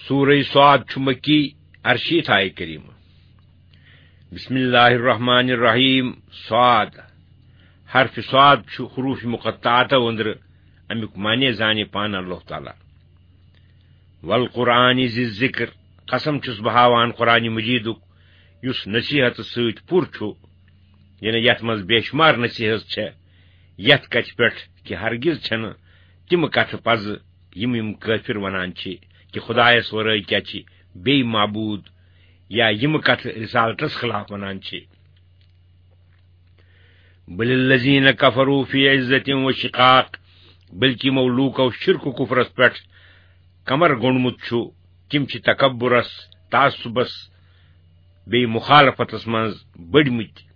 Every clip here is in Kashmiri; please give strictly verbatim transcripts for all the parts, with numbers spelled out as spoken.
سورہ صاد چھُ مکی، ارشیٖتھ آیہِ کریمہ۔ بسم اللہ الرحمن الرحیم۔ صاد، حرف صاد چھُ حروف مقطعاتو أنٛدرٕ، امیُک معنی زانہِ پانہٕ اللہ تعالیٰ۔ والقرآن ذی الذکر، قسم چھُس بہٕ ہاوان قرآن مجیدُک، یُس نصیحت سۭتۍ پُر چھُ، یعنی یتھ منٛز بے شمار نصیحت چھےٚ، یتھ کتھِ پٮ۪ٹھ کہِ ہرگز چھنہٕ تِم کتھٕ پزٕ یِم یِم کٲفر ونان چھِ کہِ خدایس ورٲے کیٛاہ چھِ بیٚیہِ معبوٗد، یا یِم کتھٕ رسالتس خلاف ونان چھِ۔ بل الذین کفروا فی عزت و شقاق، بلکہ یِمو لوٗکو شرک و کفرس پٮ۪ٹھ کمر گوٚنڈمُت چھُ، تِم چھِ تکبرس، تعصبس، بیٚیہِ مخالفتس منٛز بٔڑمٕتۍ۔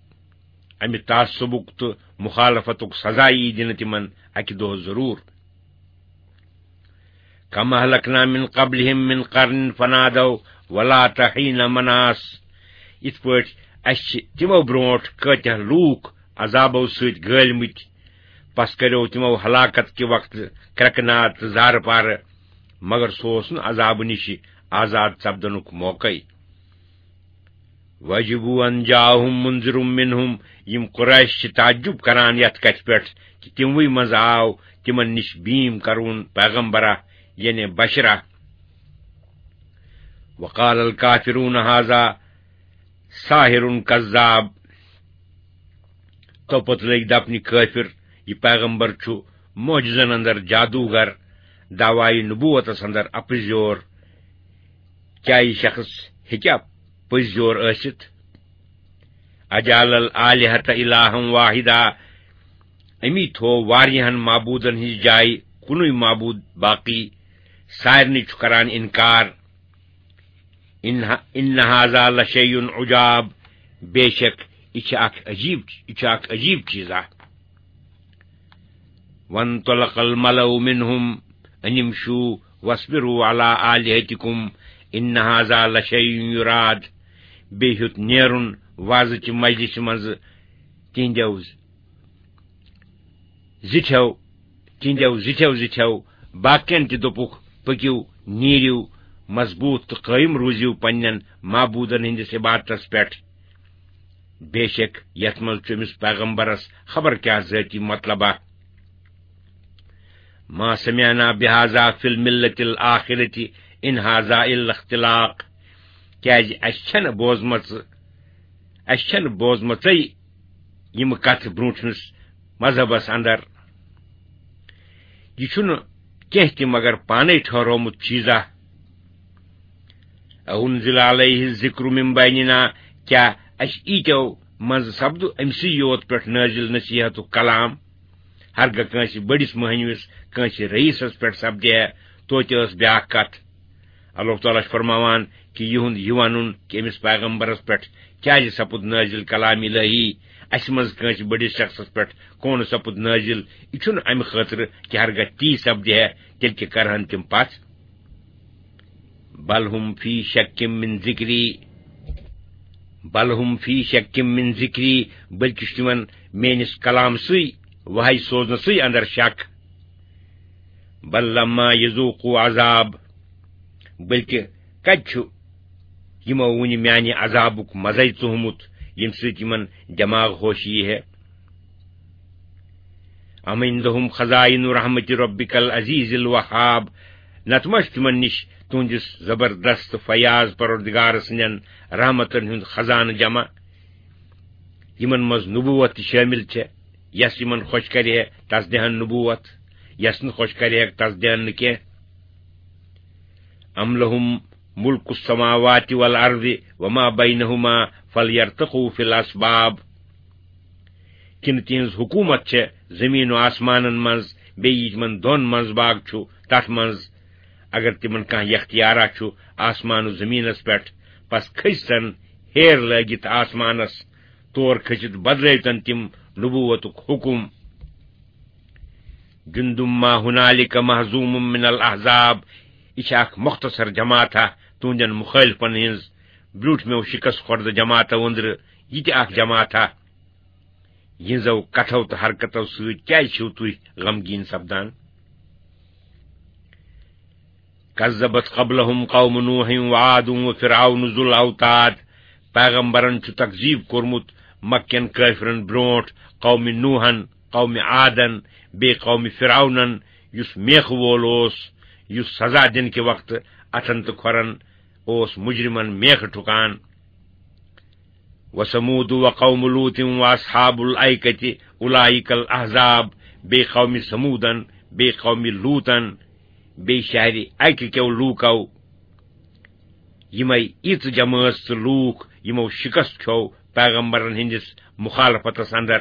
امہِ تعصبُک تہٕ مخالفتُک سزا یی دِنہٕ تِمن اکہِ دۄہ ضروٗر۔ کم اہلکنا من قبلہم من قرن فنادوا ولات حین مناص۔ یِتھ پٲٹھۍ اسہِ چھِ تِمو برونٛٹھ کۭتیاہ لوٗکھ عذابو سۭتۍ گٲلۍ مٕتۍ، پس کریو تِمو ہلاکت کہِ وقتہٕ کرٛٮ۪کہٕ ناد تہٕ زارٕ پارٕ، مگر سُہ اوس نہٕ عذابہٕ نِشہِ آزاد سپدنُک موقعے۔ وعجبوا ان جاءہم منذر منہم، یِم قریش چھِ تعجب کران یتھ کتھِ پٮ۪ٹھ کہِ تِموٕے منٛز آو تِمن نِش بیٖم کرون پیغمبرا، یعنی بشرا۔ وقال الکافرون هذا ساحر کذاب۔ تو پتہٕ لٔگۍ دپنہِ کٲفر، یہِ پیغمبر چھُ معجزن اندر جادوگر، دعوی نبوتس اندر اپزیور۔ کیا یہِ شخص ہیٚکیا پٔزۍ یور ٲسِتھ؟ اجعل الآلہۃ الہا واحدا، أمی تھوو واریاہن معبوٗدن ہٕنٛز جایہِ کُنُے معبوٗد باقی، سارنٕے چھُ کران انکار۔ ان ان ھذا لشیء عجاب، بے شک یہِ چھِ اکھ عجیب، یہِ چھُ اکھ عجیب چیٖز اکھ۔ وانطلق الملأ منهم ان امشوا واصبروا على آلهتكم ان هذا لشيء يراد۔ بیٚیہِ ہیوٚت نیرُن وازٕچہِ مجلسہِ منٛزٕ تِہنٛدیو زِٹھیو، تِہنٛدیو زِٹھیو زِٹھیو باقین تہِ دوٚپُکھ، پٔکِو، نیٖرِو، مضبوٗط تہٕ قٲیِم روٗزِو پننٮ۪ن معبوٗدن ہٕنٛدِس عبادتس پٮ۪ٹھ۔ بے شک یتھ منٛز چھُ أمِس پیغمبرس خبر کیٛاہ ذٲتی مطلبہ۔ ما سمعنا بهذا في الملة الآخرة ان هذا الا اختلاق۔ کیازِ اسہِ چھنہٕ بوزمژٕ، اسہِ چھنہٕ بوزمژے یِم کتھٕ برونٹھمِس مذہبس اندر۔ یہِ چھُنہٕ کینٛہہ تہِ مگر پانے ٹھہرومُت چیٖزا۔ اَأُنزِلَ عَلَيْهِ الذِّكْرُ مِن بَيْنِنَا، کیٛاہ اَسہِ ییٖتیو منٛزٕ سپدُ أمۍ سٕے یوت پٮ۪ٹھ نٲزِل نصیحتُک کلام؟ ہرگاہ کٲنٛسہِ بٔڑِس مٔہنِوِس، کٲنٛسہِ رئیسس پٮ۪ٹھ سپدِ ہے توتہِ ٲس بیٛاکھ کتھ۔ اللہ تعالیٰ چھُ فرماوان کہِ یِہُنٛد یہِ ونُن کہِ أمِس پیغمبرس پٮ۪ٹھ کیٛازِ سپُد نٲزِل کلام الہی، اَسہِ منٛز کٲنٛسہِ بٔڑِس شخصس پٮ۪ٹھ کون سپُد نٲزِل، یہِ چھُنہٕ امہِ خٲطرٕ کہِ ہرگاہ تی سپدِ ہے، تیٚلہِ کہِ کرہن تِم پتھ۔ بل ہم فی شک من ذکری، بل ہم فی شک من ذکری، بلکہ چھُ تِمن میٲنِس کلام سٕے، وحی سوزنہٕ سٕے اندر شک۔ بل لما یذوقوا عذاب، بلکہ کتہِ چھُ یِمو وُنہِ میانہِ عذابُک مزے ژوہمُت، ییٚمہِ سۭتۍ یِمن دٮ۪ماغ ہوشی یی ہے۔ ام عندهم خزائن رحمت ربک العزیز الوہاب، نتہٕ ما چھُ تِمن نِش تُہنٛدِس زبردست فیاض پروردگار سٕنٛدٮ۪ن رحمتن ہُنٛد خزانہٕ جمع، یِمن منٛز نبوت تہِ شٲمِل چھےٚ، یس یِمن خۄش کرِ ہے تس دِہن نبوت، یس نہٕ خۄش کرِ ہے تس دِہن نہٕ کینٛہہ۔ ام لهم ملک السماوات والارض وما بینهما فلیرتقوا فی الاسباب۔ کِنہٕ تِہنٛز حکوٗمت چھےٚ زٔمیٖن و آسمانن منٛز، بیٚیہِ یہِ تِمن دۄن منٛز باگ چھُ، تتھ منٛز؟ اگر تِمن کانٛہہ یختیارا چھُ آسمان و زٔمیٖنس پٮ۪ٹھ، پس کھٔسۍ تن ہیر لٲگِتھ آسمانس، تور کھٔسِتھ بدلٲوۍ تن تِم نبوتُک حکم۔ جند ما هنالک مهزوم من الاحزاب، یہِ چھِ اکھ مختصر جماعتھا تُہنٛدٮ۪ن مخٲلفن ہٕنٛز، برٛونٛٹھمیو شکست خوردٕ جماعتو أنٛدرٕ یہِ تہِ اکھ جماعتھا۔ یِہنٛزو کتھو تہٕ حرکتو سۭتۍ کیازِ چھِو تُہۍ غمگیٖن سپدان؟ کذبت قبلهم قوم نوح وعاد وفرعون ذو الاوتاد۔ پیغمبرن چھُ تکذیب کوٚرمُت مکین کٲفرن برونٹھ قوم نوحن، قوم عادن، بیٚیہِ قوم فرعونن، یُس میخہٕ وول اوس، یُس سزا دِنہٕ کہِ وقتہٕ اتھن تہٕ کھۄرن اوس مجرمن میخہٕ ٹھُکان۔ وثمود وقوم لوط واصحاب الایکة اولئک الاحزاب۔ بیٚیہِ قوم ثمودن، بیٚیہِ قوم لوطن، بیٚیہِ شہرِ اکہِ کیو لوٗکو۔ یِمے یِژھ جمٲژ تہٕ لوٗکھ یِمو شکست کھیوٚو پیغمبرن ہٕنٛدِس مخالفتس اندر۔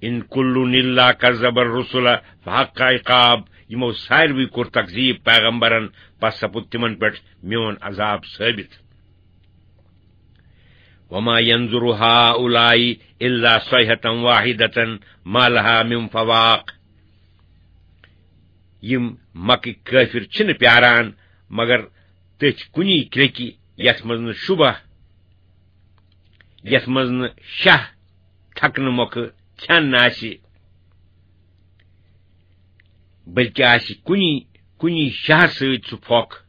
ان کل الا کذب الرسل فحق عقاب۔ یِمو ساروٕے کوٚر تکذیب پیغمبرن، پس سپُد تِمن پٮ۪ٹھ میون عذاب ثٲبت۔ وما ينظر هؤلاء الا صيحة واحدة ما لها من فواق۔ یِم مکٕکۍ کٲفِر چھِنہٕ پیاران مگر تٔتھۍ کُنی کرٛیٚکہِ، یَتھ منٛز نہٕ شُبہ، یَتھ منٛز نہٕ شاہ تھکنہٕ مۄکھٕ ژھٮ۪ن آسہِ، بلکہِ آسہِ کُنی، کُنی شاہ سۭتۍ سُہ پھۄکھ۔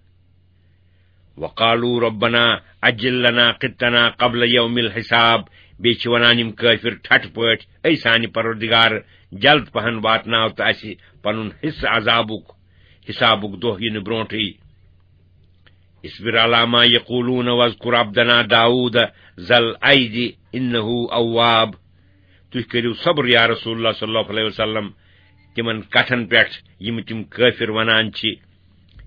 وقالوا ربنا عجل لنا قطنا قبل يوم الحساب۔ بیٚیہِ چھِ وَنان یِم کٲفِر ٹھٹھٕ پٲٹھۍ، اے سانہِ پروردگار، جلد پہن واتناو تہٕ اَسہِ پنُن حصہٕ عذابُک، حسابُک دۄہ یِنہٕ برونٹھٕے۔ اصبر على ما يقولون واذكر عبدنا داود ذا الأيد إنه أواب۔ تُہۍ کٔرِو صبر یا رسول اللہ صلی اللہ علیہ وسلم تِمن کتھن پٮ۪ٹھ یِم تِم کٲفِر وَنان چھِ۔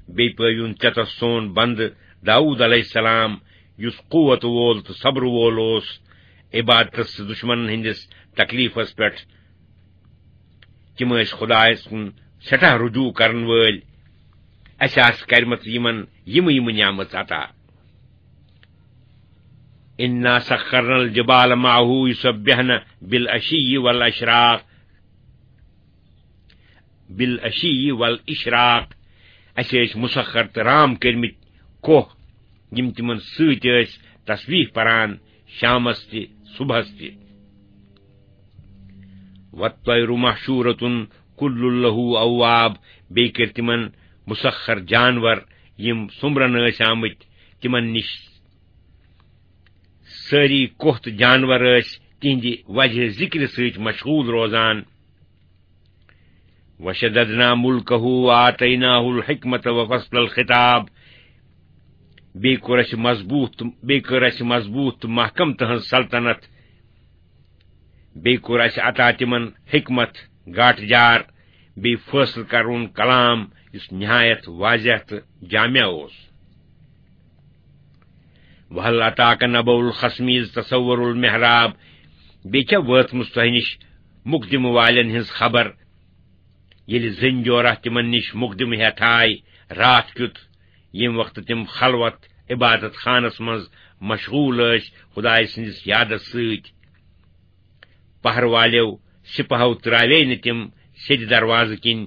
بیٚیہِ پٲوِوُن ژےٚ تس سون بندٕ داوٗد علیہ السلام، یُس قوت وول تہٕ صبر وول اوس، عبادتس تہٕ دشمنن ہٕنٛدِس تکلیفس پٮ۪ٹھ۔ تِم ٲسۍ خدایس کُن سٮ۪ٹھاہ رجوع کرن وٲلۍ۔ اَسہِ آسہٕ کرِمژٕ یِمن یِمہٕ یِمہٕ نعمژٕ عطا۔ انا سخرنا الجبال معه يسبحن بالعشي والاشراق، بالعشي والاشراق۔ اَسہِ ٲسۍ مسخر تہٕ رام کٔرمٕتۍ کوہ، یِم تِمن سۭتۍ ٲسۍ تسبیح پران شامس تہِ صبحس تہِ۔ والطير محشورة كل له أواب۔ بیٚیہِ کٔرۍ تِمن مسخر جانور، یِم سوٚمبرن ٲسۍ آمٕتۍ، تِمن نِش سٲری کوہ تہٕ جانور ٲسۍ تِہنٛدِ وجہ ذکرِ سۭتۍ مشغول روزان۔ وشددنا ملكه وآتيناه الحكمة وفصل الخطاب۔ بیٚیہِ کوٚر اَسہِ مضبوٗط، بیٚیہِ کٔر اَسہِ مضبوٗط تہٕ محکم تٕہٕنٛز سلطنت۔ بیٚیہِ کوٚر اَسہِ عطا تِمن حکمت، گاٹہٕ جار، بیٚیہِ فٲصلہٕ کرُن کلام، یُس نہایت واضح تہٕ جامع اوس۔ وهل أتاك نبأ الخصم إذ تسوروا المحراب۔ بیٚیہِ چھا وٲژمٕژ تۄہہِ نِش مقدمہٕ والٮ۪ن ہٕنٛز خبر، ییٚلہِ زٔنۍ جورہ تِمن نِش مقدمہٕ ہٮ۪تھ آے راتھ کیُتھ، ییٚمہِ وقتہٕ تِم خلوت عبادت خانس منٛز مشغول ٲسۍ خدایہِ سٕنٛدِس یادس سۭتۍ؟ پہر والٮ۪و سپاہو تراوے نہٕ تِم سیٚدِ دروازٕ کِنۍ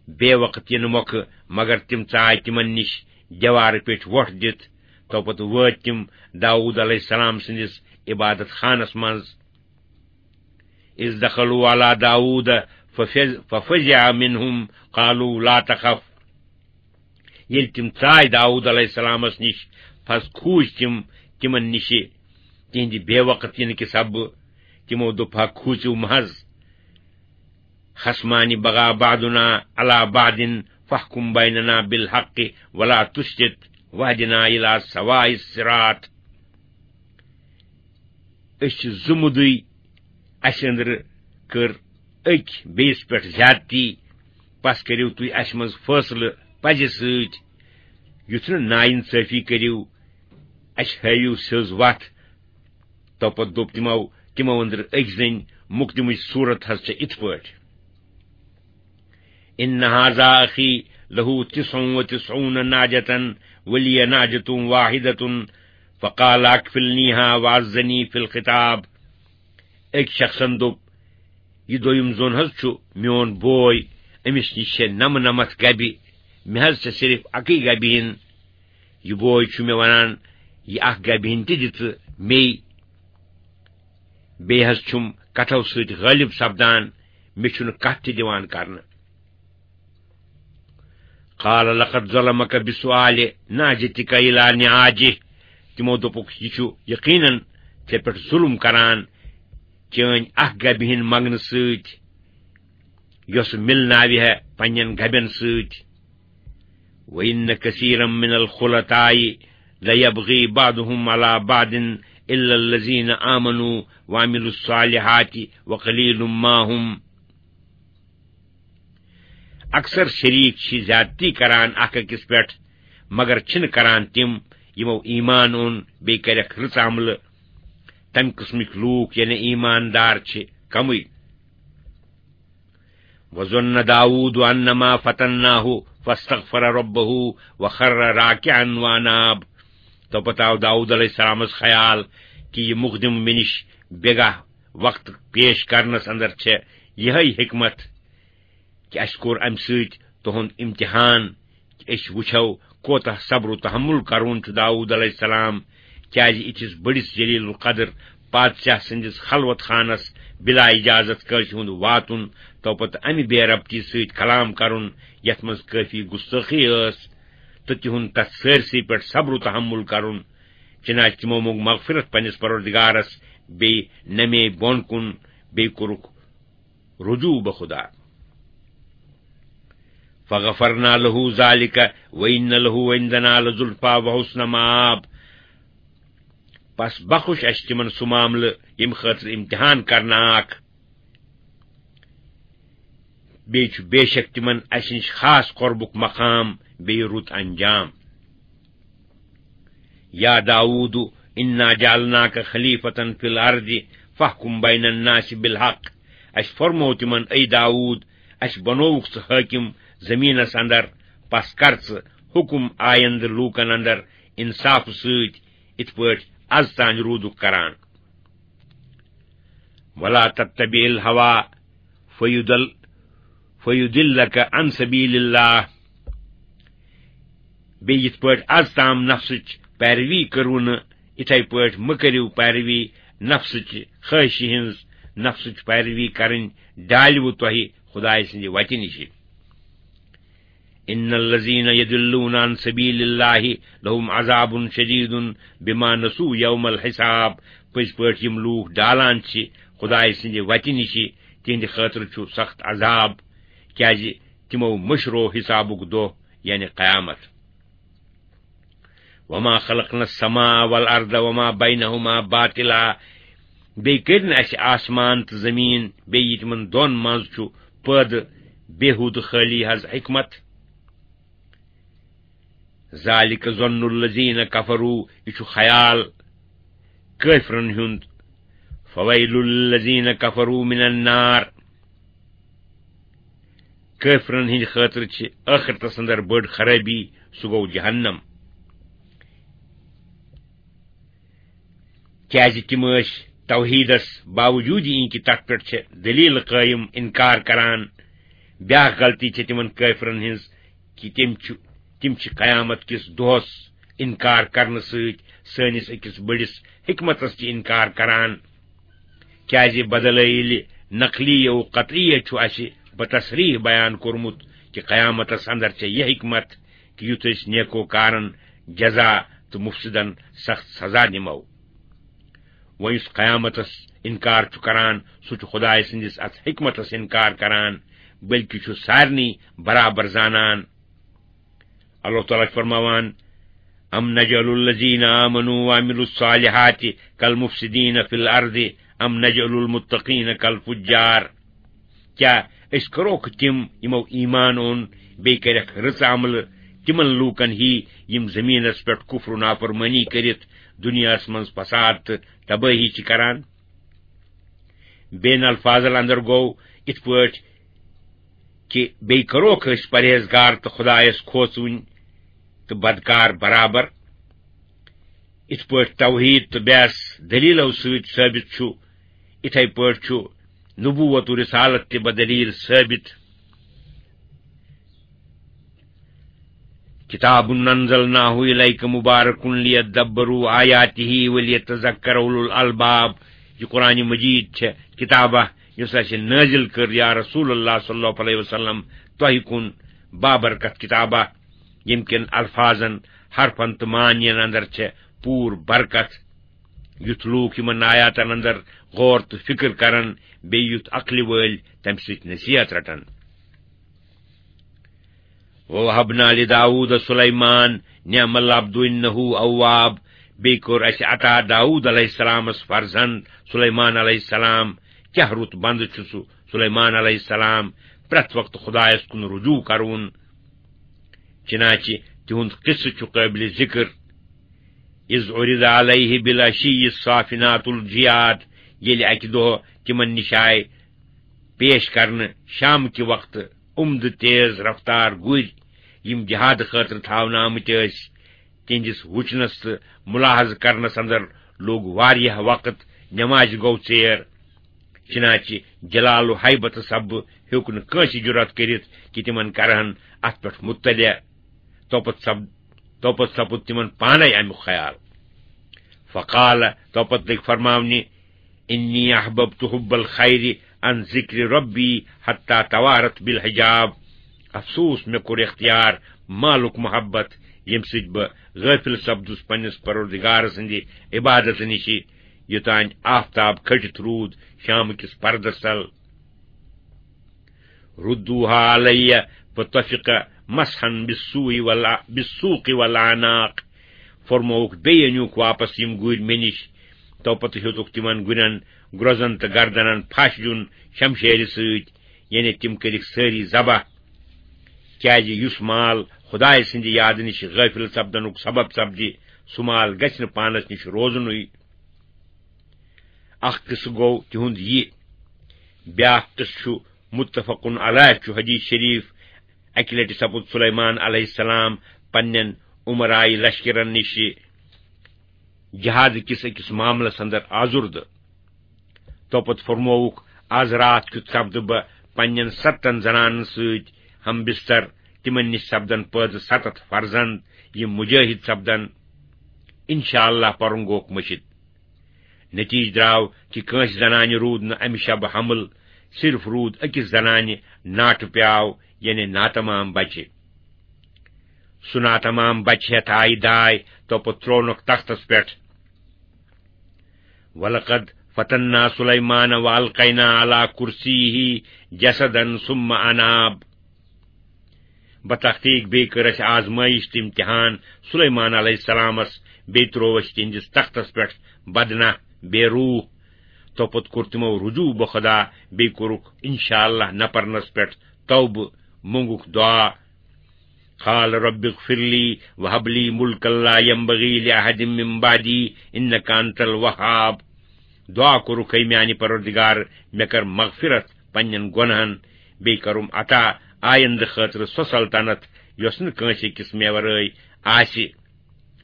بے وقت یِنہٕ مۄکھٕ، مگر تِم ژاے تِمن نِش دیوارٕ پیٚٹھۍ وۄٹھ دِتھ۔ تو پتہٕ وٲتۍ تِم داوود علیہ السلام سٕنٛدِس عبادت خانس منٛز۔ اذ دخلوا على داوود ففز-، ففزع منهم قالوا لا تخف۔ ییٚلہِ تِم ژاے داوود علیہ السلامس نِش، پس کھوٗژۍ تِم تِمن نِشہِ تِہنٛدِ بے وقت یِنہٕ کہِ سببہٕ۔ تِمو دوٚپ، ہا کھوٗژِو محض۔ خصمان بغى بعضنا على بعض فاحكم بيننا بالحق ولا تشطط واهدنا إلى سواء الصراط۔ أسۍ چھِ زٕ مُدٕے، اَسہِ أنٛدرٕ کٔر أکۍ بیٚیِس پٮ۪ٹھ زیادتی، پس کٔرِو تُہۍ اَسہِ منٛز فٲصلہٕ پزِ سۭتۍ، یُتھ نہٕ نااِنصٲفی کٔرِو، اَسہِ ہٲوِو سیٚز وَتھ۔ تو پتہٕ دوٚپ تِمو، تِمو أنٛدرٕ أکۍ زٔنۍ، مُقدِمٕچ صوٗرت حض چھےٚ یِتھ پٲٹھۍ۔ إن هذا أخي له تسع وتسعون نعجة ولي نعجة واحدة فقال أكفلنيها وعزني في الخطاب۔ أکۍ شخصن دوٚپ، یہِ دوٚیُم زوٚن حض چھُ میون بوے، أمِس نِش چھےٚ نَمہٕ نَمَتھ گبہِ، مےٚ حض چھےٚ صرف اَکٕے گبہِ ہِن۔ یہِ بوے چھُ مےٚ وَنان، یہِ اَکھ گبہِ ہِن تہِ دِ ژٕ مے۔ بیٚیہِ حض چھُم کتھو سۭتۍ غٲلب سپدان، مےٚ چھُنہٕ کتھ تہِ دِوان کرنہٕ۔ قال لقد ظلمك بسؤال نعجتك إلى نعاجه۔ تِمو دوٚپُکھ، یہِ چھُ یقیناً ژےٚ پٮ۪ٹھ ظُلُم کران چٲنۍ اکھ گبہِ ہٕنٛدۍ منٛگنہٕ سۭتۍ، یۄس مِلناوِ ہے پننٮ۪ن گبٮ۪ن سۭتۍ۔ وَإِنَّ كَثِيرًا مِنَ الْخُلَطَاءِ لَيَبْغِي بَعْضُهُمْ عَلَى بَعْضٍ إِلَّا الَّذِينَ آمَنُوا وَعَمِلُوا الصَّالِحَاتِ وَقَلِيلٌ مَا هُمْ۔ اکثر شریک چھِ زیادتی کران اکھ أکِس پٮ۪ٹھ، مگر چھِنہٕ کران تِم، یِمو ایمان اوٚن بیٚیہِ کَرٮ۪کھ رٕژ عملہٕ۔ تَمہِ قٕسمٕکۍ لوٗکھ، یعنی ایماندار، چھِ کمٕے۔ وَظَنَّ دَاوُودُ أَنَّمَا فَتَنَّاهُ فَاسْتَغْفَرَ رَبَّهُ وَخَرَّ رَاكِعًا وَأَنَابَ۔ تو پتہٕ آو داؤد علیہ السلامس خیال کہِ یہِ مقدم مےٚ نِش بیگاہ وقت پیش کرنس اندر چھےٚ یِہے حکمت کہِ اسہِ کوٚر امہِ سۭتۍ تُہُنٛد امتحان، کہِ أسۍ وٕچھو کوتاہ صبر و تحمل کرون چھُ داؤد علیہ السلام، کیازِ یِتھِس بٔڑِس جلیل القدر بادشاہ سٕنٛدِس خلوت خانس بلا اجازت کٲنٛسہِ ہُنٛد واتُن، تو پتہٕ امہِ بے ربطی سۭتۍ کلام کرُن، یتھ منٛز کٲفی گستٲخی ٲس، تہٕ تِہُنٛد تتھ سٲرسٕے پٮ۪ٹھ صبر و تحمل کرُن۔ چنانچہ تِمو موٚنگ مغفرت پننِس پروردگارس، بیٚیہِ نمے بۄن کُن، بیٚیہِ کوٚرُکھ رجوع بخدا۔ فَغَفَرْنَا لَهُ ذَلِكَ وَإِنَّ لَهُ عِنْدَنَا لَزُلْفَىٰ وَحُسْنَ مَآبٍ۔ پس بخش اسہِ تِمن سُہ معاملہٕ، ییٚمہِ خٲطرٕ امتحان کرنہٕ آکھ۔ بیٚیہِ چھُ بے شک تِمن اسہِ نِش خاص قربُک مقام، بیٚیہِ رُت انجام۔ يا داوود إنا جعلناك خليفة في الأرض فاحكم بين الناس بالحق۔ اسہِ فرموو تِمن، اے داوود، اسہِ بنووُکھ ژٕ حٲکِم زمینس اندر، پس کر ژٕ حکم آیندٕ لوٗکن اندر انصاف سۭتۍ، یِتھ پٲٹھۍ از تام روٗدُکھ کران۔ ولا تتبع الهوى فيضل فيضلك عن سبيل الله۔ بیٚیہِ یِتھ پٲٹھۍ از تام نفسٕچ پیروی کٔروٕ نہٕ، یِتھے پٲٹھۍ مہٕ کٔرِو پیروی نفسٕچ خٲہشہِ ہٕنٛز۔ نفسٕچ پیروی کرٕنۍ ڈالِوٕ تۄہہِ خدایہِ سٕنٛدِ وتہِ نِشہِ۔ إن الذين يضلون عن سبيل الله لهم عذاب شديد بما نسوا يوم الحساب۔ پٔزۍ پٲٹھۍ یِم لوٗکھ ڈالان چھِ خدایہِ سٕنٛدِ وتہِ نِشہِ، تِہنٛدِ خٲطرٕ چھُ سخت عذاب، کیازِ تِمو مٔشرو حسابُک دۄہ، یعنی قیامت۔ وما خلقنا السماء والأرض وما بينهما باطلا۔ بیٚیہِ کٔرۍ نہٕ اسہِ آسمان تہٕ زمین، بیٚیہِ یہِ تِمن دۄن منٛز چھُ پٲدٕ، بیہودٕ خٲلی حظ حکمت۔ ذلك ظن الذين كفروا، یہِ چھُ خیال کٲفرن ہُنٛد۔ فويل للذين كفروا من النار۔ کٲفرن ہٕنٛدِ خٲطرٕ چھِ ٲخرتس اندر بٔڑ خرٲبی، سُہ گوٚو جہنم۔ کیازِ تِم ٲسۍ توحیدس باوجود یہِ کہِ تتھ پٮ۪ٹھ چھِ دلیل قٲیم انکار کران۔ بیاکھ غلطی چھِ تِمن کٲفرن ہٕنٛز کہِ تِم چھِ، تِم چھِ قیامت کِس دۄہس انکار کرنہٕ سۭتۍ سٲنِس أکِس بٔڑِس حکمتس تہِ انکار کران۔ کیازِ بدلٲیِلہِ نقلی و قطعی چھُ اسہِ بتصریح بیان کوٚرمُت کہِ قیامتس اندر چھےٚ یہِ حکمت کہِ یُتھ أسۍ نیکوکارن جزا تہٕ مفسدن سخت سزا دِمو۔ وۄنۍ یُس قیامتس انکار چھُ کران، سُہ چھُ خدایہِ سٕنٛدِس اتھ حکمتس انکار کران، بلکہِ چھُ سارنٕے برابر زانان۔ اللہ تعالیٰ چھُ فرماوان، أم نجعل الذين آمنوا وعملوا الصالحات كالمفسدين في الأرض أم نجعل المتقين كالفجار۔ کیٛاہ أسۍ کروکھ تِم، یِمو ایمان اوٚن، بیٚیہِ کَرٮ۪کھ رٕژ عملہٕ، تِمن لوٗکن ہی، یِم زٔمیٖنس پٮ۪ٹھ کُفر و نافرمٲنی کٔرِتھ دُنیاہس منٛز فساد تہٕ تبٲہی چھِ کران؟ بین الفاظن اندر گوٚو یِتھ پٲٹھۍ کہِ بیٚیہِ کروکھ أسۍ پرہیزگار تہٕ خدایس کھوژوٕنۍ تہٕ بدکار برابر۔ یِتھ پٲٹھۍ توحید تہٕ بیس دلیلو سۭتۍ ثٲبت چھُ، یِتھے پٲٹھۍ چھُ نبوت و رسالت تہِ بدلیل ثٲبت۔ كتاب أنزلناه إليك مبارك ليدبروا آياته وليتذكر أولو الألباب۔ یہِ قرآن مجید چھےٚ کتابہ یۄس اسہِ نٲزل کٔر یا رسول اللہ صلی اللہ علیہ وسلم تۄہہِ کُن، بابرکت کتابہ، ییٚمہِ کٮ۪ن الفاظن، حرفن تہٕ معنین اندر چھےٚ پوٗرٕ برکت۔ یُتھ لوٗکھ یِمن آیاتن اندر غور تہٕ فکر کرن، بیٚیہِ یُتھ عقلہِ وٲلۍ تمہِ سۭتۍ نصیحت رٹن۔ وَوَهَبْنَا لِدَاوُودَ سُلَیْمَانَ نِعْمَ الْعَبْدُ إِنَّهُ أَوَّابٌ۔ بیٚیہِ کوٚر اَسہِ عطا داوود علیہ السلامس فرزند سلیمان علیہ السلام۔ کیٛاہ رُت بندٕ چھُ سُہ سلیمان علیہ السلام، پرٛٮ۪تھ وقتہٕ خدایس کُن رجوع کرون۔ چنانچہ تِہُنٛد قصہٕ چھُ قٲبلِ ذکر۔ اِذْ عُرِضَ عَلَیْهِ بِالْعَشِیِّ الصَّافِنَاتُ الْجِیَادُ، ییٚلہِ اَکہِ دۄہ تِمن نِش آے پیش کرنہٕ شام کہِ وقتہٕ عمدٕ تیز رفتار گُرۍ، یِم جہاد خٲطرٕ تھاونہٕ آمٕتۍ ٲسۍ۔ تِہنٛدِس وُچھنس تہٕ ملاحظہٕ کرنس اندر لوٚگ واریاہ وقت، نمازِ گوٚو ژیر۔ چنانچہ جلال و ہیبت سببہٕ ہیوٚک نہٕ کٲنٛسہِ جرأت کٔرِتھ کہِ تِمن کرہن اتھ پٮ۪ٹھ مطلع۔ توپتہٕ سپ-، توپتہٕ سپُد تِمن پانے امیُک خیال۔ فقال، توپتہٕ لٔگۍ فرماونہِ، إِنِّی أَحْبَبْتُ حُبَّ الْخَیْرِ عَنْ ذِکْرِ رَبِّی حَتَّیٰ تَوَارَتْ بِالْحِجَابِ۔ افسوس، مےٚ کوٚر اختیار مالُک محبت، ییٚمہِ سۭتۍ بہٕ غٲفِل سپدُس پننِس پروردگار سٕنٛدِ عبادتہٕ نِشہِ، یوٚتام آفتاب کھٔٹِتھ روٗد شامہٕ کِس پردس تل۔ رُدُّوہا عَلَیَّ فَطَفِقَ مَسْحًا بِالسُّوقِ وَالْأَ-، بِالسُّوقِ وَالْأَعْنَاقِ۔ فرمووُکھ، بیٚیہِ أنِوُکھ واپس یِم گُرۍ مےٚ نِش۔ توپتہٕ ہیوٚتُکھ تِمن گُرٮ۪ن گرٛوزن تہٕ گردنن پھش دیُن شمشیرِ سۭتۍ، یعنی تِم کٔرِکھ سٲری ذبح۔ کیازِ یُس مال خدایہِ سٕنٛدِ یادٕ نِش غٲفِل سپدنُک سبب سپدِ، سُہ مال گژھِ نہٕ پانس نِش روزنُے۔ اکھ قصہٕ گوٚو تِہُنٛد یہِ۔ بیاکھ قصہٕ چھُ متفقن علیہ، چھُ حدیث شریف۔ اکہِ لٹہِ سپُد سلیمان علیہ السلام پننٮ۪ن امرائے لشکرن نِش جہاد کِس أکِس معاملس اندر آزُردٕ۔ توپتہٕ فرمووُکھ، از راتھ کیُتھ سپدٕ بہٕ پننٮ۪ن ستن زنانن سۭتۍ ہم بستر، تِمن نِش سپدن پٲدٕ ستتھ فرزند، یِم مجاہد سپدن۔ انشاءاللہ پرُن گوکھ مٔشِتھ۔ نتیجہ درٛاو کہِ کٲنٛسہِ زنانہِ روٗد نہٕ امہِ شبہٕ حمل، صرف روٗد أکِس زنانہِ ناٹہٕ پیاو، یعنی ناتمام بچہِ۔ سُہ ناتمام بچہِ ہٮ۪تھ آیہِ داے، توپتہٕ ترٛوونکھ تختس پٮ۪ٹھ۔ وَلَقَدْ فَتَنَّا سُلَیْمَانَ وَأَلْقَیْنَا عَلَى کُرْسِیِّهِ جَسَدًا ثُمَّ أَنَابَ۔ بتحقیق بیٚیہِ کٔر اَسہِ آزمٲیش تہٕ امتحان سلیمان علیہ السلامس، بیٚیہِ ترٛوو اَسہِ تِہنٛدِس تختس پٮ۪ٹھ بدنہ، بے روح۔ توپتہٕ کوٚر تِمو رجوع بخدا، بیٚیہِ کوٚرُکھ انشاءاللہ نہ پرنس پٮ۪ٹھ توبہٕ، مونگُکھ دعا۔ قال رب اغفر لي وهب لي ملكا لا ينبغي لأحد من بعدي إنك أنت الوهاب۔ دعا کوٚرُکھ، اے میانہِ پروردگار، مےٚ کر مغفرت پننٮ۪ن گۄنہن، بیٚیہِ کرُم عطا آیندٕ خٲطرٕ سۄ سلطنت یۄس نہٕ کٲنٛسہِ أکِس مےٚ ورٲے آسہِ۔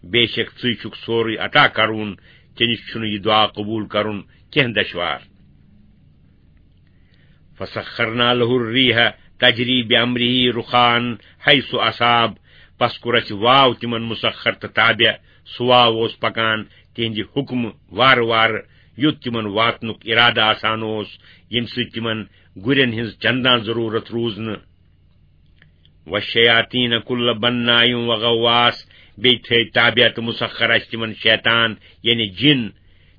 بے شک ژٕے چھُکھ سورُے عطا کرُن، ژےٚ نِش چھُنہٕ یہِ دعا قبول کرُن کینٛہہ دشوار۔ فسخرنا له الريح تجري بأمره رخاء حيث أصاب۔ پس کوٚر اَسہِ واو تِمن مسخر تہٕ تابع۔ سُہ واو اوس پکان تِہنٛدِ حُکمہٕ وارٕ وارٕ، یوٚت تِمن واتنُک ارادٕ آسان اوس، ییٚمہِ سۭتۍ تِمن گُرٮ۪ن ہٕنٛز چندان ضروٗرت روٗز نہٕ۔ وَالشَّيَاطِينَ كُلَّ بَنَّاءٍ وَغَوَّاصٍ، بیٚیہِ تھٲوۍ تابع تہٕ مُسَخَّر اَسہِ تِمَن شیطان، یعنی جِن،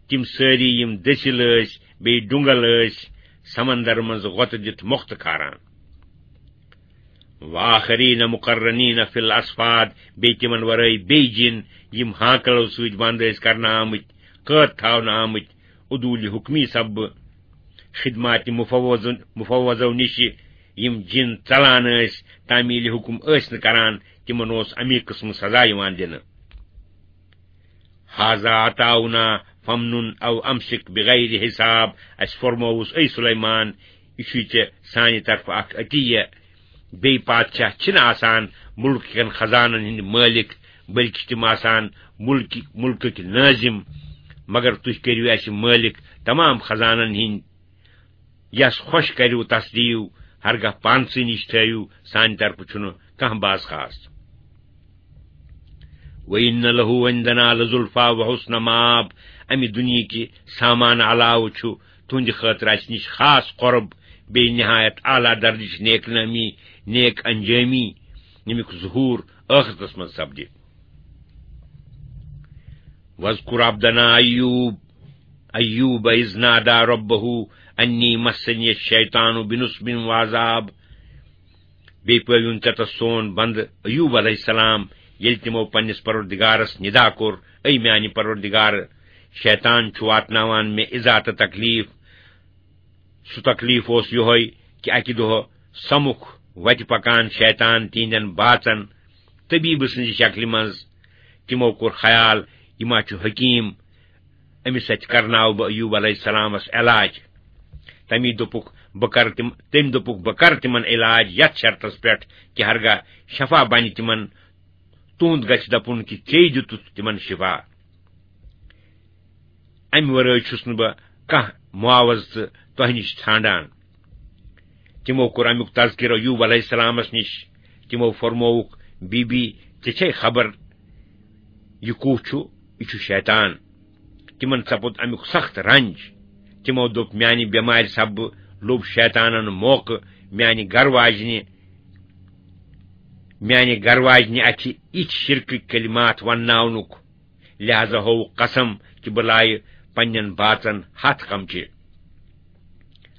تِم سٲری یِم دٔسِل ٲسۍ، بیٚیہِ ڈُنٛگل ٲسۍ، سمندر منٛز غۄطہٕ دِتھ مۄختہٕ کھاران۔ وَآخَرِينَ مُقَرَّنِينَ فِي الْأَصْفَادِ، بیٚیہِ تِمَن وَرٲے بیٚیہِ جِن، یِم ہانٛکلو سۭتۍ بنٛد ٲسۍ کرنہٕ آمٕتۍ، قٲد تھاونہٕ آمٕتۍ، عدوٗلِ حُکمی سببہٕ، خدماتِ مفوضن-، مفوضو نِشہِ یِم جِن ژلان ٲسۍ، تعمیٖلِ حُکم ٲسۍ نہٕ کران، تِمن اوس اَمی قٕسمہٕ سزا یِوان دِنہٕ۔ هذا عطاؤنا فامنن أو أمسك بغير حساب، اَسہِ فرمووُس، اے سلیمان، یہِ چھُے ژےٚ سانہِ طرفہٕ اکھ عطیہ۔ بیٚیہِ پادشاہ چھِنہٕ آسان مُلکہٕ کٮ۪ن خزانن ہٕنٛدۍ مٲلِک، بلکہِ چھِ تِم آسان مُلکہِ، مُلکٕکۍ نٲظِم۔ مگر تُہۍ کٔرِو اَسہِ مٲلِک تمام خزانن ہٕنٛدۍ۔ یَس خۄش کَریو تَس دِیِو، ہرگاہ پانسٕے نِش تھٲیِو، سانہِ طرفہٕ چھُنہٕ کانٛہہ باز خاص۔ وَإِنَّ لَهُ عِنْدَنَا لَزُلْفَىٰ وَحُسْنَ مَآبٍ، اَمہِ دُنیہٕکہِ سامان علاوٕ چھُ تُہٕنٛدِ خٲطرٕ اَسہِ نِش خاص قۄرب، بیٚیہِ نہایت اعلیٰ درجٕچ نیک نٲمی، نیک انجٲمی، ییٚمیُک ظہوٗر ٲخرتس منٛز سپدِ۔ واذکر عبدنا ایوب، ایوب اذ نادی ربہ انی مسنی الشیطان بنصب وعذاب۔ بیٚیہِ پٲوِن ژےٚ تس سون بندٕ ایوب علیہ السلام، ییٚلہِ تِمو پننِس پروردگارس ندا کوٚر، اے میانہِ پروردگار، شیطان چھُ واتناوان مےٚ اِزا تہٕ تکلیف۔ سُہ تکلیف اوس یِہوٚے کہِ اکہِ دۄہ سمکھ وتہِ پکان شیطان تِہنٛدٮ۪ن باژن طبیبہٕ سٕنٛزِ شکلہِ منٛز۔ تِمو کوٚر خیال، یہِ ما چھُ حکیم، أمِس سۭتۍ کرناوٕ بہٕ ایوب علیہ السلامس علاج۔ تمی دوٚپُکھ، بہٕ کرٕ تِم، تٔمۍ دوٚپُکھ، بہٕ کرٕ تِمن علاج یتھ شرطس پٮ۪ٹھ کہِ ہرگاہ شفا بنہِ تِمن، تُہُنٛد گژھِ دپُن کہِ ژےٚ دِتُتھ تِمن شفا۔ امہِ ورٲے چھُس نہٕ بہٕ کانٛہہ معاوضہٕ تۄہہِ نِش ژھانڈان۔ تِمو کوٚر امیُک تذکرٕ ایوب علیہ السلامس نِش۔ تِمو فرمووُکھ، بی بی، ژےٚ چھے خبر، یہِ کُس چھُ؟ یہِ چھُ شیطان۔ تِمن سپُد امیُک سخت رنج۔ تِمو دوٚپ، میانہِ بٮ۪مارِ سببہٕ لوٚب شیطانن موقعہٕ میانہِ گرٕ واجنہِ، میانہِ گرٕ واجنہِ اَتھِ یِتھۍ شرکٕکۍ کلمات ونناونُک۔ لہذا ہووُکھ قسم کہِ بہٕ لایہِ پننٮ۪ن باژن ہتھ قمچہِ۔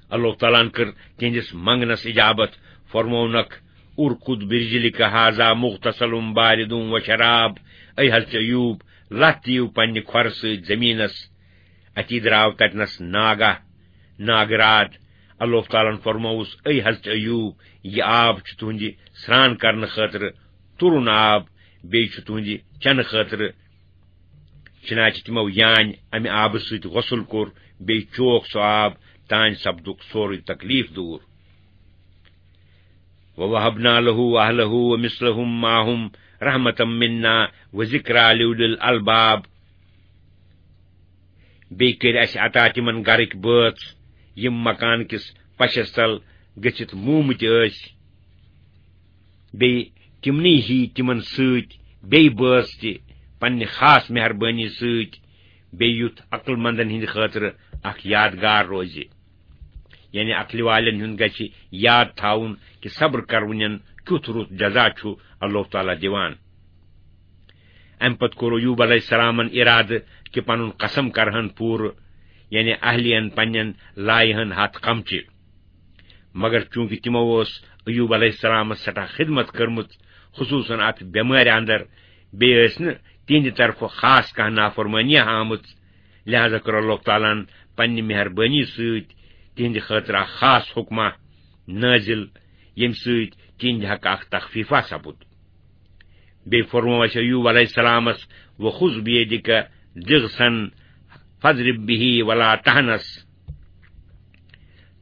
اللہ تعالیٰ ہن کٔر تِہنٛدِس منگنس اجابت، فرموونکھ، ارکد برجلک ہذا مغتسل بارد و شراب، اے حضرت ایوب، لتھ دِیِو پننہِ کھۄرٕ سۭتۍ زمینس۔ اتی درٛاو تتنس ناگہ، ناگہٕ راتھ۔ اللہ تعالیٰ ہن فرمووُس، اے حضرت ایوب، یہِ آب چھُ تُہنٛدِ سرٛان کرنہٕ خٲطرٕ تُرُن آب، بیٚیہِ چھُ تُہنٛدِ چنہٕ خٲطرٕ۔ چنانچہ تِمو یانۍ امہِ آبہٕ سۭتۍ غسل کوٚر، بیٚیہِ چوک سُہ آب، تانۍ سپدُکھ سورُے تکلیف دوٗر۔ وَوَهَبْنَا لَهُ أَهْلَهُ وَمِثْلَهُمْ مَعَهُمْ رَحْمَةً مِنَّا وَذِكْرَىٰ لِأُولِي الْأَلْبَابِ۔ بیٚیہِ کٔرۍ اَسہِ عطا تِمن گرٕکۍ بٲژ، یِم مکان کِس پشس تل گٔژھِتھ موٗمٕتۍ ٲسۍ۔ بیٚیہِ تِمنٕے ہی تِمن سۭتۍ بیٚیہِ بٲژ تہِ، پننہِ خاص مہربٲنی سۭتۍ، بیٚیہِ یُتھ عقل مندن ہٕنٛدِ خٲطرٕ اکھ یادگار روزِ۔ یعنی عقلہِ والٮ۪ن ہُنٛد گژھِ یاد تھاوُن کہِ صبر کرونٮ۪ن کیُتھ رُت جزا چھُ اللہ تعالیٰ دِوان۔ امہِ پتہٕ کوٚر ایوب علیہ السلامن ارادٕ کہِ پنُن قسم کرہن پوٗرٕ، یعنی اہلین پننٮ۪ن لایہن ہتھ قمچہِ۔ مگر چونکہ تِمو ٲس ایوب علیہ السلامس سٮ۪ٹھاہ خدمت کٔرمٕژ، خصوصاً اتھ بٮ۪مارِ اندر، بیٚیہِ ٲسۍ نہٕ تِہنٛدِ طرفہٕ خاص کانٛہہ نافرمٲنی آمٕژ، لہذا کٔر اللہ تعالیٰ ہن پننہِ مہربٲنی سۭتۍ تِہنٛدِ خٲطرٕ اکھ خاص حکمہ نٲزِل، ییٚمہِ سۭتۍ تِہنٛدِ حقہٕ اکھ تخفیفہ سپُد۔ بیٚیہِ فرموو اَسہِ ایوب علیہ السلامس، وَخُذْ بِيَدِكَ ضِغْثًا فَاضْرِب بِهِ وَلَا تَحْنَثْ۔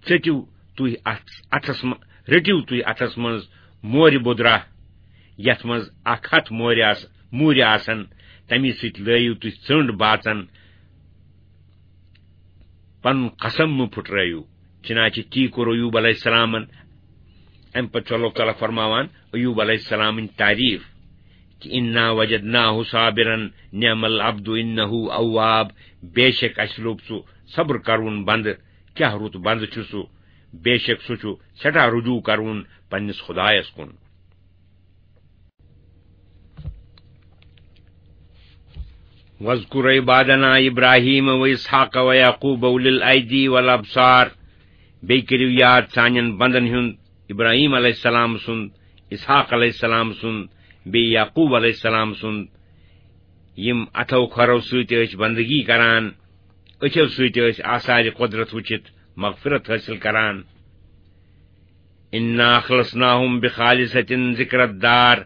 ژٔٹِو تُہۍ اَتھ، اَتھس م-، رٔٹِو تُہۍ اَتھس منٛز مورِ بودرا، یَتھ منٛز اَکھ ہَتھ مورِ آس-، موٗرِ آسن، تَمی سۭتۍ لٲیِو تُہۍ ژٔنٛڈ باژن، پنُن قسم مہٕ پھُٹرٲیِو۔ چنانچہ تی کوٚر ایوب علیہ السلامن۔ امہِ پتہٕ چھُ اللہ تعالیٰ فرماوان ایوب علیہ السلامٕنۍ تعریف کہِ انا وجدناہ صابرا نعم العبد انہ اواب، بے شک اسہِ لوٚب سُہ صبر کرون بندٕ، کیاہ رُت بندٕ چھُ سُہ، بے شک سُہ چھُ سٮ۪ٹھاہ رجوع کرون پننِس خدایس کُن۔ واذکر عبادنا ابراہیم و اسحاق و یعقوب اولی الایدی والابصار۔ بیٚیہِ کٔرِو یاد سانٮ۪ن بندن ہُنٛد، ابراہیم علیہ السلام سُنٛد، اسحاق علیہ السلام سُنٛد، بیٚیہِ یعقوب علیہ السلام سُنٛد، یِم اتھو کھۄرو سۭتۍ ٲسۍ بندگی کران، أچھو سۭتۍ ٲسۍ آثارِ قدرت وٕچھِتھ مغفرت حٲصِل کران۔ انا اخلصناہم بخالصۃ ذکر الدار،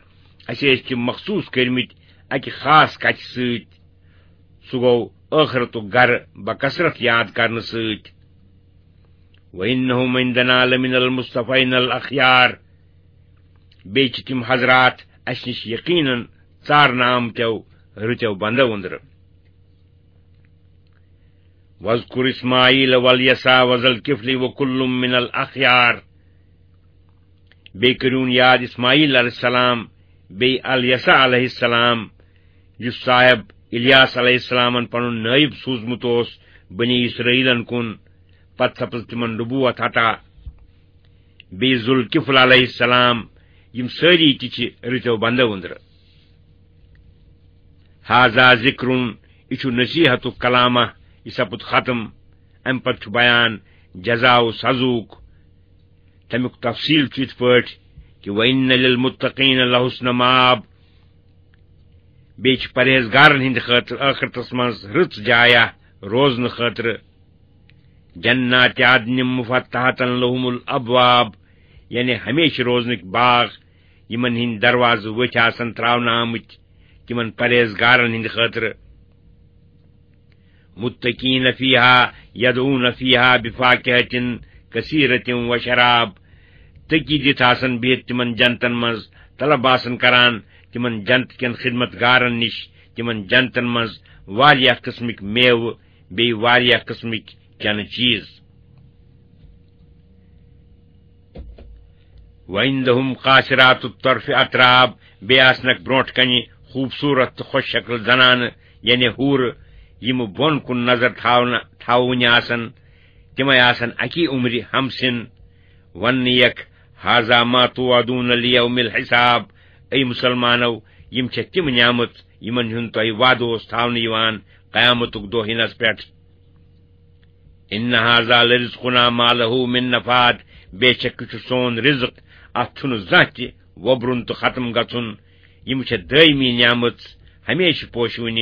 اسہِ ٲسۍ تِم مخصوٗص کٔرمٕتۍ اکہِ خاص کتھِ سۭتۍ، سُہ گوٚو ٲخرتُک گرٕ بکثرت یاد کرنہٕ سۭتۍ۔ وانہم عندنا لمن المصطفین الاخیار، بیٚیہِ چھِ تِم حضرات اسہِ نِش یقیناً ژارنہٕ آمتیو رٕتیو بندو أنٛدرٕ۔ واذکر اسماعیل والیسع وذا الکفل وکل من الاخیار۔ بیٚیہِ کٔرِوُن یاد اسماعیل علیہ السلام، بیٚیہِ الیسع علیہ السلام، یُس صاحب الیاس علیہ السلامن پنُن نٲیب سوٗزمُت اوس بنی اسرائیلن کُن، پتہٕ سپٕز تِمن نبوت عطا۔ بیٚیہِ ذوالکفل علیہ السلام، یِم سٲری تہِ چھِ رٕتیو بندو أنٛدرٕ۔ ہذا ذکرن، یہِ چھُ نصیحتُک کلامہ، یہِ سپُد ختم۔ امہِ پتہٕ چھُ بیان جزا و سزوک۔ تمیُک تفصیل چھُ یِتھ پٲٹھۍ کہِ وَإِنَّ لِلْمُتَّقِينَ لَحُسْنَ مَآبٍ، بیٚیہِ چھِ پرہیزگارن ہٕنٛدِ خٲطرٕ ٲخرتس منٛز رٕژ جایہ روزنہٕ خٲطرٕ۔ جَنَّاتِ عَدْنٍ مُفَتَّحَةً لَهُمُ الْأَبْوَابُ، یعنی ہمیشہِ روزنٕکۍ باغ، یِمن ہٕنٛدۍ دروازٕ ؤتھۍ آسن ترٛاونہٕ آمٕتۍ تِمن پرہیزگارن ہٕنٛدِ خٲطرٕ۔ مُتَّكِئِينَ فِيهَا يَدْعُونَ فِيهَا بِفَاكِهَةٍ كَثِيرَةٍ وَشَرَابٍ، تٔکی دِتھ آسن بِہِتھ تِمن جنتن منٛز، طلب آسن کران تِمن جنت کٮ۪ن خدمت گارن نِش، تِمن جنتن منٛز واریاہ قٕسمٕکۍ میوٕ، بیٚیہِ واریاہ قٕسمٕکۍ چنہٕ چیٖز۔ وَعِنْدَهُمْ قَاصِرَاتُ الطَّرْفِ أَتْرَابٌ، بیٚیہِ آسنَکھ برونٛٹھ کَنہِ خوٗبصوٗرت تہٕ خۄش شکل زنانہٕ، یعنی حوٗرٕ، یِم بۄن کُن نظر تھاونہٕ، تھاوٕنہِ آسَن، تِمَے آسَن اَکی عُمرِ ہمسِن۔ وَننہٕ یَکھ، هَذَا مَا تُوعَدُونَ لِيَوْمِ الْحِسَابِ، اے مُسلمانو، یِم چھےٚ تِم نعمت یِمَن ہُنٛد تۄہہِ وعدٕ اوس تھاونہٕ یِوان قیامتُک دۄہ یِنَس پٮ۪ٹھ۔ إِنَّ هَذَا لَرِزْقُنَا مَا لَهُ مِن نَفَادٍ، بے شک یہِ چھُ سون رزق، اتھ چھُنہٕ زانٛہہ تہِ وۄبرُن تہٕ ختم گژھُن۔ یِم چھےٚ دٲیمی نعمت، ہمیشہِ پوشوٕنہِ۔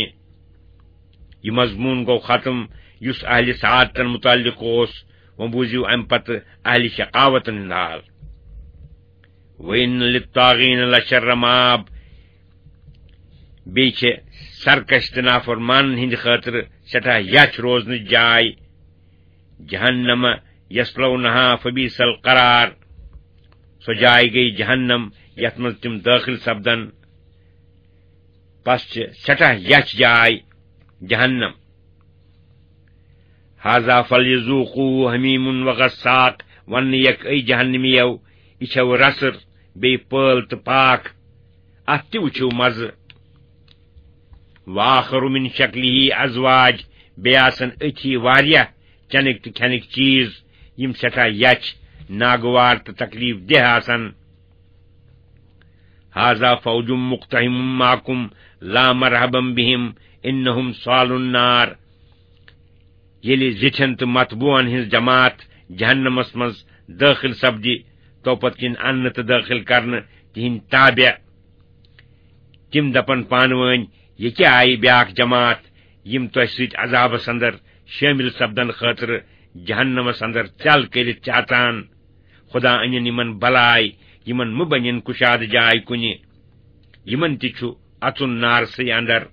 یہِ مضموٗن گوٚو ختم یُس اہلِ سعادتن متعلق اوس، وۄنۍ بوٗزِو امہِ پتہٕ اہلِ شقاوتن ہُنٛد حال۔ وَإِنَّ لِلطَّاغِينَ لَشَرَّ مَآبٍ، بیٚیہِ چھِ سرکش تہٕ نافرمانن ہٕنٛدِ خٲطرٕ سٮ۪ٹھاہ یَژھ روزنٕچ جاے۔ جَهَنَّمَ يَصْلَوْنَهَا فَبِئْسَ الْقَرَارُ، سۄ جاے گٔے جہنم، یَتھ منٛز تِم دٲخل سپدن۔ پس چھِ سٮ۪ٹھاہ یَژھ جاے جہنم۔ هَذَا فَلْيَذُوقُوهُ حَمِيمٌ وَغَسَّاقٌ، وَننہٕ یَکھ اے جہنمیو، یہِ چھَو رسٕر، بیٚیہِ پٲل تہٕ پاکھ، اَتھ تہِ وٕچھِو مَزٕ۔ وَآخَرُ مِن شَكْلِهِ أَزْوَاجٌ، بیٚیہِ آسَن أتھی واریاہ چَنٕکۍ تہٕ کھٮ۪نٕکۍ چیٖز، یِم سٮ۪ٹھاہ یَژھ، ناگوار تہٕ تکلیف دہ آسَن۔ هَذَا فَوْجٌ مُقْتَحِمٌ مَعَكُمْ لَا مَرْحَبًا بِهِمْ إِنَّهُمْ صَالُو النَّارِ، ییٚلہِ زِٹھٮ۪ن تہٕ متبوعن ہٕنٛز جماعت جہنمس منٛز دٲخل سپدِ، توپتہٕ کِنۍ اننہٕ تہٕ دٲخل کرنہٕ تِہنٛدۍ تابع، تِم دپن پانہٕ وٲنۍ، "یہِ کیٛاہ آیہِ بیٛاکھ جماعت، یِم تۄہہِ سۭتۍ عذابس اندر شٲمِل سپدن خٲطرٕ جہنمس اندر ژٮ۪ل کٔرِتھ چھِ اژان؟ خدا أنِن یِمن بلاے، یِمن مہٕ بنِن کُشادٕ جاے کُنہِ، یِمن تہِ چھُ اژُن نارسٕے اندر۔"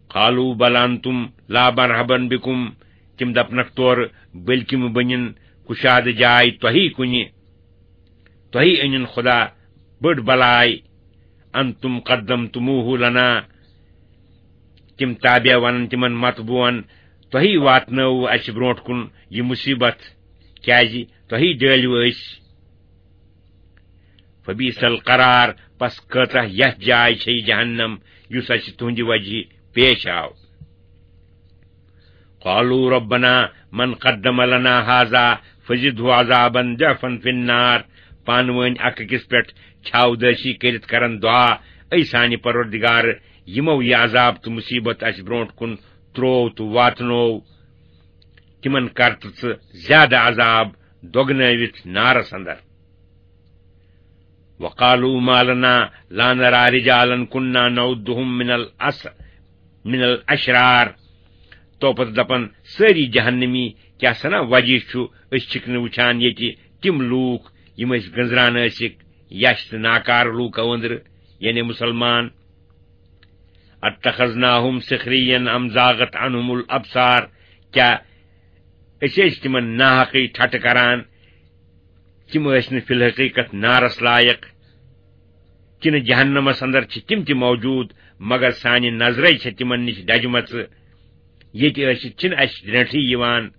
قالوا بل انتم لا مرحبا بكم، تِم دپنکھ تورٕ، بلکہِ مہٕ بٔنِن کُشادٕ جاے تۄہی کُنہِ، تۄہی أنِن خدا بٔڑ بلاے۔ انتم قدمتموه لنا، تِم تابع ونن تِمن متبوعن، تۄہی واتنٲوٕ اسہِ برونٛٹھ کُن یہِ مصیبت، کیازِ تۄہی ڈٲلِو أسۍ۔ فبئس القرار، پس کۭژاہ یتھ جاے چھے جہنم، یُس اسہِ تُہنٛدِ وجہہ پیش آو۔ قالوا ربنا من قدم لنا هذا فزده عذابا ضعفا في النار، پانہٕ وٲنۍ اکھ أکِس پٮ۪ٹھ چھاودٲسی کٔرِتھ کرن دعا، اے سانہِ پروردگار، یِمو یہِ عذاب تہٕ مصیبت اسہِ برونٛٹھ کُن تروو تہٕ واتنوو، تِمن کر تہٕ ژٕ زیادٕ عذاب دۄگنٲوِتھ نارس اندر۔ وقالوا ما لنا لا نرى رجالا كنا نعدهم من الأس-، من الأشرار۔ تو پتہٕ دپن سٲری جہنمی، کیٛاہ سنا وجہ چھُ، أسۍ چھِکھ نہٕ وٕچھان ییٚتہِ تِم لوٗکھ، یِم أسۍ گٔنزران ٲسِکھ، یَش تہٕ ناکار لوٗکو أنٛدرٕ، یعنی مُسلمان۔ اتخذناهم سخريا ام زاغت عنهم الابصار، کیٛاہ أسۍ ٲسۍ تِمن ناحقٕے ٹھٹہٕ کران؟ تِم ٲسۍ نہٕ فی الحقیقت نارس لایق، کِنہٕ جہنمس اندر چھِ تِم تہِ موجود، مگر سانہِ نظرے چھےٚ تِمن نِش دجمژٕ، ییٚتہِ ٲسِتھ چھِنہٕ اسہِ درینٹھٕے یِوان۔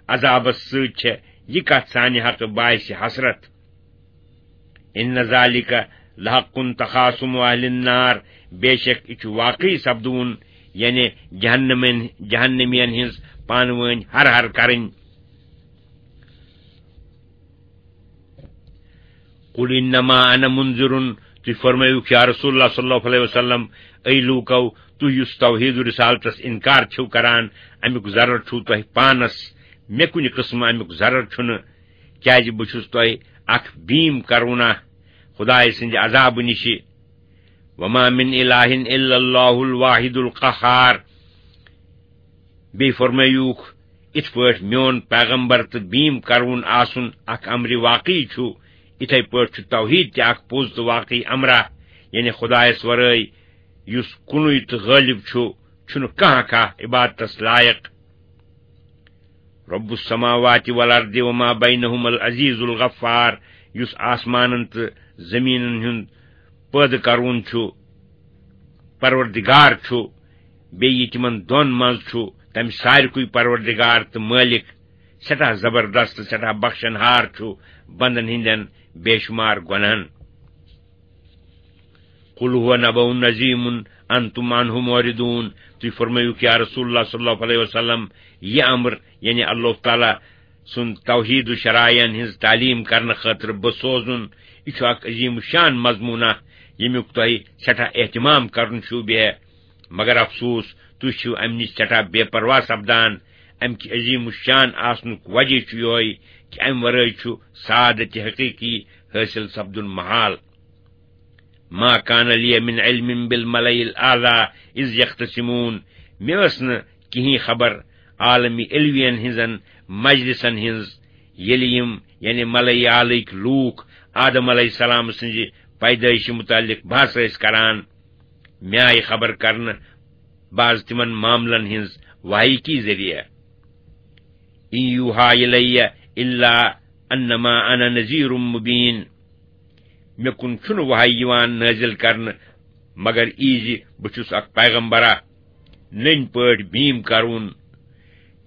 عذابس سۭتۍ چھےٚ یہِ کتھ سانہِ حقہٕ باعث حسرت۔ ان ذلك لحق تخاصم اهل النار، بے شک یہِ چھُ واقعی سپدوُن، یعنی جہنمین، جہنمین ہٕنٛز پانہٕ وٲنۍ ہر ہر کرٕنۍ۔ قل انما انا منذر، تُہۍ فرمٲیِو یا رسول اللہ صلی اللہ علیہ وسلم، اے لوٗکو، تُہۍ یُس توحید و رسالتس انکار چھِو کران، امیُک ضرر چھُو تۄہہِ پانس، مےٚ کُنہِ قٕسمہٕ امیُک ضرر چھُنہٕ، کیازِ بہٕ چھُس تۄہہِ اکھ بیٖم کرونہ خدایہِ سٕنٛدِ عذابہٕ نِشہِ۔ وما من الہ الا اللہ الواحد القہار۔ بیٚیہِ فرمٲیوکھ، یِتھ پٲٹھۍ میون پیغمبر تہٕ بیٖم کرون آسُن اکھ امرِ واقعی چھُ، یِتھے پٲٹھۍ چھُ توحید تہِ اکھ پوٚز تہٕ واقعی امرہ، یعنی خدایس ورٲے یُس کُنُے تہٕ غٲلب چھُ، چھُنہٕ کانٛہہ کانٛہہ عبادتس لایق۔ رب السماوات والارض وما بینہما العزیز الغفار، یُس آسمانن تہٕ زمینن ہُنٛد پٲدٕ کرون چھُ، پروردگار چھُ، بیٚیہِ یہِ تِمن دۄن منٛز چھُ، تمہِ سارِکُے پروردگار تہٕ مٲلِک، سٮ۪ٹھاہ زبردست تہٕ سٮ۪ٹھاہ بخشن ہار چھُ بندن ہٕنٛدٮ۪ن بے شمار گۄنہن۔ قل هو نبأ عظیم انتم عنه معرضون۔ تُہۍ فرمٲیِو یا رسول اللہ صلی اللہ علیہ وسلم، یہِ امر، یعنی اللہ تعالیٰ سُنٛد توحید و شرائعن ہٕنٛز تعلیٖم کرنہٕ خٲطرٕ بہٕ سوزُن، یہِ چھُ اکھ عظیم الشان مضموٗنہ، ییٚمیُک تۄہہِ سٮ۪ٹھاہ اہتمام کرُن چھُو بیہہ۔ مگر افسوس، تُہۍ چھِو امہِ نِش سٮ۪ٹھاہ بے پرواہ سپدان۔ امہِ کہِ عظیم الشان آسنُک وجہ چھُ یِہوٚے کہِ امہِ ورٲے چھُ سعادت حقیقی حٲصِل سپدُن محال۔ ما کان لی من علم بالملئ الاعلی اذ یختصمون۔ مےٚ ٲس نہٕ کِہیٖنۍ خبر عالمی علوین ہٕنٛزن مجلسن ہٕنٛز، ییٚلہِ یِم، یعنی ملئ اعلیٕکۍ لوٗکھ، آدم علیہ السلام سٕنٛزِ پیدٲیشہِ مُتعلق بحث ٲسۍ کران۔ مےٚ آیہِ خبر کرنہٕ بعض تِمن معاملن ہٕنٛز وحی کی ذٔریعہٕ۔ ان یوحی الی الا انما انا نذیر مبین۔ مےٚ کُن چھُنہٕ وحی یِوان نٲزِل کرنہٕ، مگر یی زِ بہٕ چھُس اکھ پیغمبرا، نٔنۍ پٲٹھۍ بیٖم کرُن۔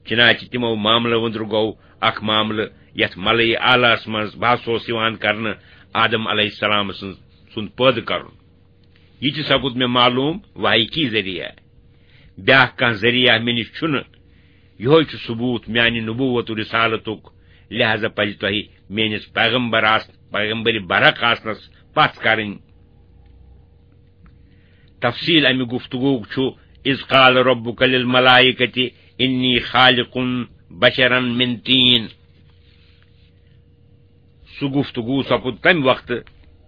چنانچہ تِمو معاملو أنٛدرٕ گوٚو اکھ معاملہٕ، یتھ ملئ اعلیٰ ہس منٛز بحث اوس یِوان کرنہٕ، آدم علیہ السلام سٕنٛز، سُنٛد پٲدٕ کرُن۔ یہِ تہِ سپُد مےٚ معلوم وحی کی ذٔریعہٕ۔ بیٛاکھ کانٛہہ ذٔریعہٕ مےٚ نِش چھُنہٕ۔ یِہوٚے چھُ ثبوٗت میانہِ نبوت و رسالتُک۔ لہذا پزِ تۄہہِ میٲنِس پیغمبر آس-، پیغمبر برحق آسنس پژھ کرٕنۍ۔ تفصیل امہِ گفتگوک چھُ، اذ قال ربک للملائکۃ انی خالق بشرا من طین۔ سُہ گفتگو سپُد تمہِ وقتہٕ،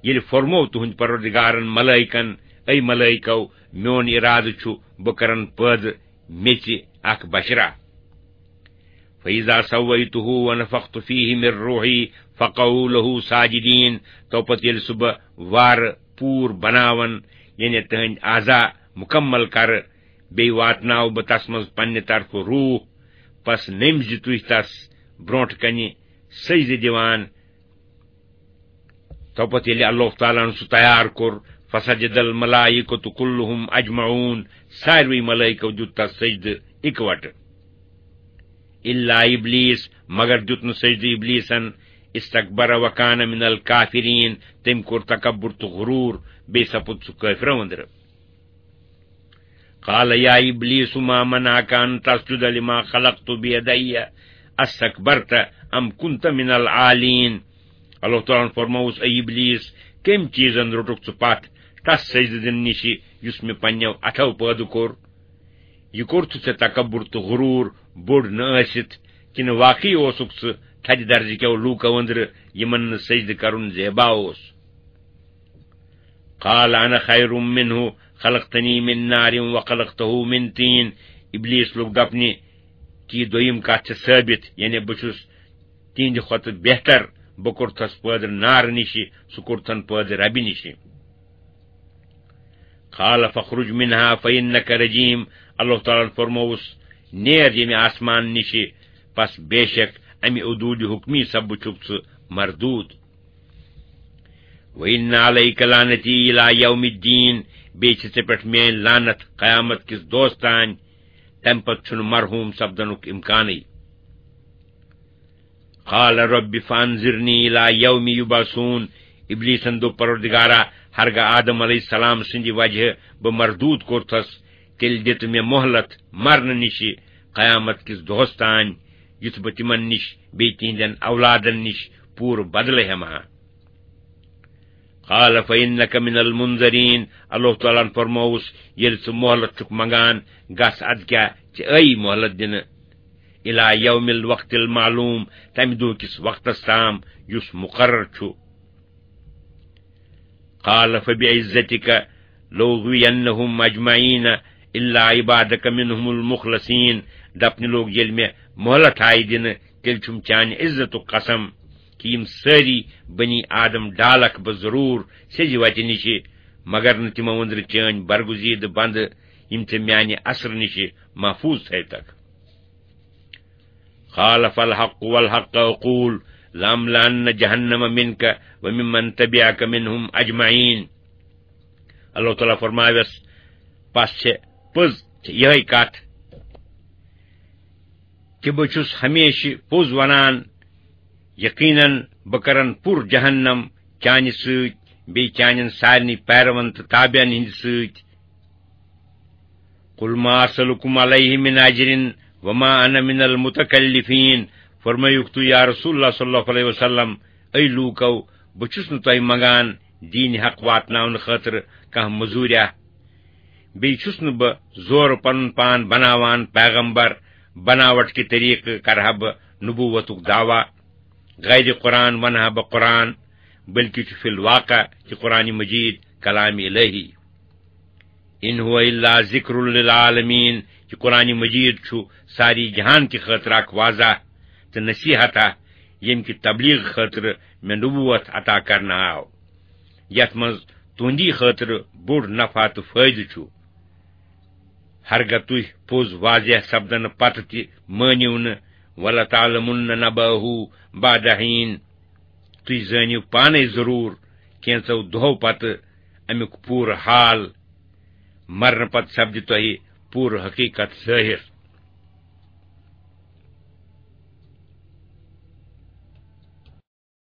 ییٚلہِ فرموو تُہنٛدۍ پروردگارن ملائکن، اے ملائکو، میون ارادٕ چھُ بہٕ کرن پٲدٕ میژِ اکھ بشرا۔ فإذا سويته ونفخت فيه من روحي فقعوا له ساجدين۔ تو پتہٕ ییٚلہِ سُہ بہٕ وارٕ پوٗر بناون، یعنی تٕہنٛدۍ اعضا مکمل کرٕ، بیٚیہِ واتناوٕ بہٕ تس منٛز پننہِ طرفہٕ روح، پس نٔمۍ زِ تُہۍ تس برونٛٹھ کنہِ سجدٕ دِوان۔ تو پتہٕ ییٚلہِ اللہ تعالیٰ ہن سُہ تیار کوٚر، فسجد الملائکۃ کلہم اجمعون، ساروٕے ملائکو دیُت تس سجدٕ اِکوٹہٕ۔ الا ابلیس، مگر دیُت نہٕ سجدٕ ابلیسن، استکبر وکان من الکافرین، تٔمۍ کوٚر تکبر تہٕ غرور، بیٚیہِ سپُد سُہ کٲفرو أنٛدرٕ۔ قال یا ابلیس ما منعک ان تسجد لما خلقت بیدی استکبرت ام کنت من العالین۔ اللہ تعالیٰ ہن فرمووُس، اے ابلیس، کٔمۍ چیٖزن روٚٹُکھ ژٕ پتھ تس سجدٕ دِنہٕ نِشہِ یُس مےٚ پننیو اتھو پٲدٕ کوٚر؟ یہِ کوٚرتھٕ ژےٚ تکبر تہٕ غرور بوٚڑ نہٕ ٲسِتھ، کِنہٕ واقعی اوسُکھ ژٕ تھدِ درجہٕ کیو لوٗکو أنٛدرٕ، یِمن نہٕ سجدٕ کرُن زیبا اوس؟ قال انا خیر منه خلقتنی من نار وخلقته من طین۔ ابلیس لوٚگ دپنہِ، کہِ یہِ دوٚیِم کتھ چھِ ثٲبت، یعنی بہٕ چھُس تِہنٛدِ کھۄتہٕ بہتر، بہٕ کوٚرتھس پٲدٕ نارٕ نِشہِ، سُہ کوٚرتھن پٲدٕ ربہِ نِشہِ۔ قال فاخرج منها فإنك رجيم۔ اللہ تعالیٰ ہن فرمووُس، نیر ییٚمہِ آسمان نِشہِ، پس بے شک امہِ عدولِ حکمی سببہٕ چھُکھ ژٕ مردود۔ وإن عليك لعنتي إلى يوم الدين، بیٚیہِ چھِ ژےٚ پٮ۪ٹھ میٲنۍ لعنت قیامت کِس دۄہس تام، تمہِ پتہٕ چھُنہٕ مرحوم سپدنُک امکانٕے۔ قال رب فانظرنی الی یوم یبعثون۔ ابلیسن دوٚپ، پروردگارا، ہرگاہ آدم علیہ السلام سٕنٛدِ وجہ بہٕ مردود کوٚرتھس، تیٚلہِ دِ تہٕ مےٚ مۄہلت مرنہٕ نِشہِ قیامت کِس دۄہس تام، یُتھ بہٕ تِمن نِش بیٚیہِ تِہنٛدٮ۪ن اولادن نِش پوٗرٕ بدلہٕ ہٮ۪مہٕ ہا۔ قال فإنك من المنذرين، اللہ تعالیٰ ہن فرمووُس، ییٚلہِ ژٕ مۄہلت چھُکھ منگان، گژھ، ادٕ کیٛاہ، ژےٚ ٲیی مۄہلت دِنہٕ، إلى يوم الوقت المعلوم، تمہِ دۄہ کِس وقتس تام یُس مقرر چھُ۔ قال فبعزتك لأغوينهم أجمعين إلا عبادك منهم المخلصين۔ دپنہِ لوگ، ییٚلہِ مےٚ مۄہلت آیہِ دِنہٕ، تیٚلہِ چھُم چانہِ عزتُک قسم کہِ یِم سٲری بنی آدم ڈالکھ بہٕ ضروٗر سیٚزِ وتہِ نِشہِ، مگر نہٕ تِمو أنٛدرٕ چٲنۍ برگزیدٕ بندٕ، یِم ژےٚ میانہِ اثرٕ نِشہِ محفوظ تھٲوتکھ۔ قال فالحق والحق أقول لأملأن جهنم منك وممن تبعك منهم أجمعين۔ اللہ تعالیٰ فرماوس، پس چھے پٔز، چھے یہے کتھ، کہ بہٕ چھُس ہمیشہِ پوٚز ونان، یقیناً بہٕ کرن پُر جہنم چانہِ سۭتۍ، بیٚیہِ چانٮ۪ن سارنٕے پیروَن تہٕ تابعن ہٕنٛدِ سۭتۍ۔ قل ما أسألكم عليه من أجر وما أنا من المتكلفين۔ فرمٲیُکھ تُہۍ، یا رسول اللہ صلی اللہ علیہ وسلم، اے لوٗکو، بہٕ چھُس نہٕ تۄہہِ منگان دیٖنہِ حق واتناونہٕ خٲطرٕ کانٛہہ مٔزوٗریا۔ بیٚیہِ چھُس نہٕ بہٕ زورٕ پنُن پان بناوان پیغمبر، بناوٹ کہِ طریقہٕ کرٕ ہا بہٕ نبوتُک دعویٰ، غیر قرآن ونہٕ ہا بہٕ قرآن، بلکہِ چھُ فی الواقع کہِ قرآن مجید کلام الہی۔ إن هو إلا ذكر للعالمين، یہِ قرآن مجید چھُ ساری جہان کہِ خٲطرٕ اکھ واضح تہٕ نصیحت، ییٚمہِ کہِ تبلیغ خٲطرٕ مےٚ نبوت عطا کرنہٕ آو، یتھ منٛز تُہنٛدی خٲطرٕ بوٚڑ نفع تہٕ فٲیدٕ چھُ۔ ہرگاہ تُہۍ پوٚز واضح سپدنہٕ پتہٕ تہِ مٲنِو نہٕ، ولتعلمن نبأه بعد حين، تُہۍ زٲنِو پانے ضروٗر کینٛژو دۄہو پتہٕ امیُک پوٗرٕ حال۔ مرنہٕ پتہٕ سپدِ تۄہہِ پوٗرٕ حقیقت ظٲہِر۔